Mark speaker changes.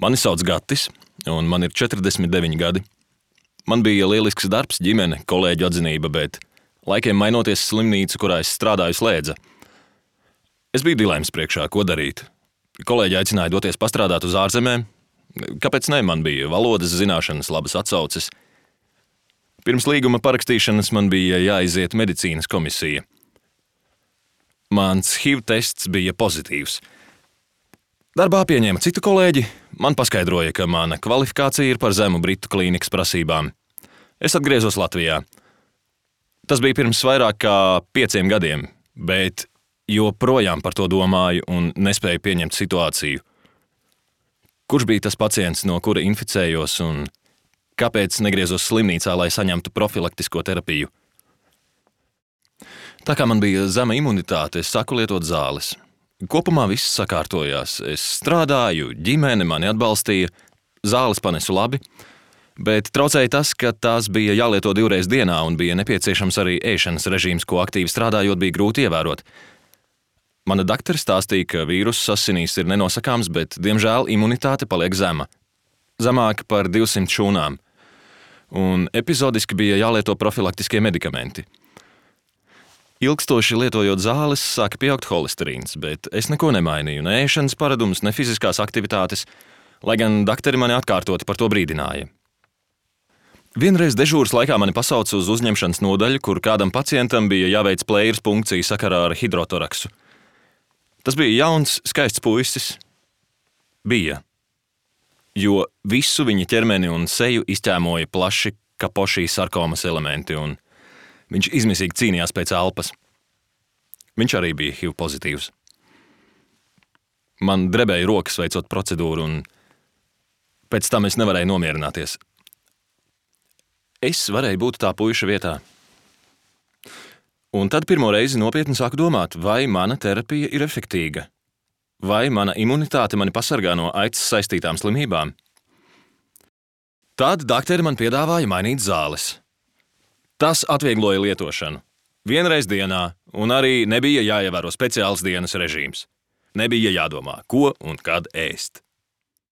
Speaker 1: Mani sauc Gatis, un man ir 49 gadi. Man bija lielisks darbs, ģimene, kolēģu atzinība, bet laikiem mainoties slimnīcu, kurā es strādāju, slēdza. Es biju dilemmas priekšā, ko darīt. Kolēģi aicināja doties pastrādāt uz ārzemēm. Kāpēc ne? Man bija valodas zināšanas, labas atsauces. Pirms līguma parakstīšanas man bija jāiziet medicīnas komisija. Mans HIV tests bija pozitīvs. Darbā pieņēma citu kolēģi, man paskaidroja, ka mana kvalifikācija ir par zemu Britu klīnikas prasībām. Es atgriezos Latvijā. Tas bija pirms vairāk kā 5 gadiem, bet joprojām par to domāju un nespēju pieņemt situāciju. Kurš bija tas pacients, no kura inficējos, un kāpēc negriezos slimnīcā, lai saņemtu profilaktisko terapiju? Tā kā man bija zema imunitāte, es sāku lietot zāles. Kopumā viss sakārtojās. Es strādāju, ģimene mani atbalstīja, zāles panesu labi, bet traucēja tas, ka tās bija jālieto 2 reizes dienā un bija nepieciešams arī ēšanas režīms, ko aktīvi strādājot bija grūti ievērot. Mana daktore stāstīja, ka vīruss asinīs ir nenosakāms, bet, diemžēl, imunitāte paliek zema. Zemāka par 200 šūnām. Un epizodiski bija jālieto profilaktiskie medikamenti. Ilgstoši lietojot zāles, sāka pieaugt holesterīns, bet es neko nemainīju, ne ēšanas paradumus, ne fiziskās aktivitātes, lai gan dakteri mani atkārtoti par to brīdināja. Vienreiz dežūras laikā mani pasauca uz uzņemšanas nodaļu, kur kādam pacientam bija jāveic plējas punkcija sakarā ar hidrotoraksu. Tas bija jauns, skaists puisis. Bija. Jo visu viņa ķermeni un seju izķēmoja plaši Kapošī sarkomas elementi, un viņš izmisīgi cīnījās pēc elpas. Viņš arī bija HIV pozitīvs. Man drebēja rokas veicot procedūru, un pēc tam es nevarēju nomierināties. Es varēju būt tā puiša vietā. Un tad pirmo reizi nopietni sāku domāt, vai mana terapija ir efektīga, vai mana imunitāte mani pasargā no aids saistītām slimībām. Tad dakteri man piedāvāja mainīt zāles. Tas atviegloja lietošanu. 1 reizi dienā, un arī nebija jāievēro speciāls dienas režīms. Nebija jādomā, ko un kad ēst.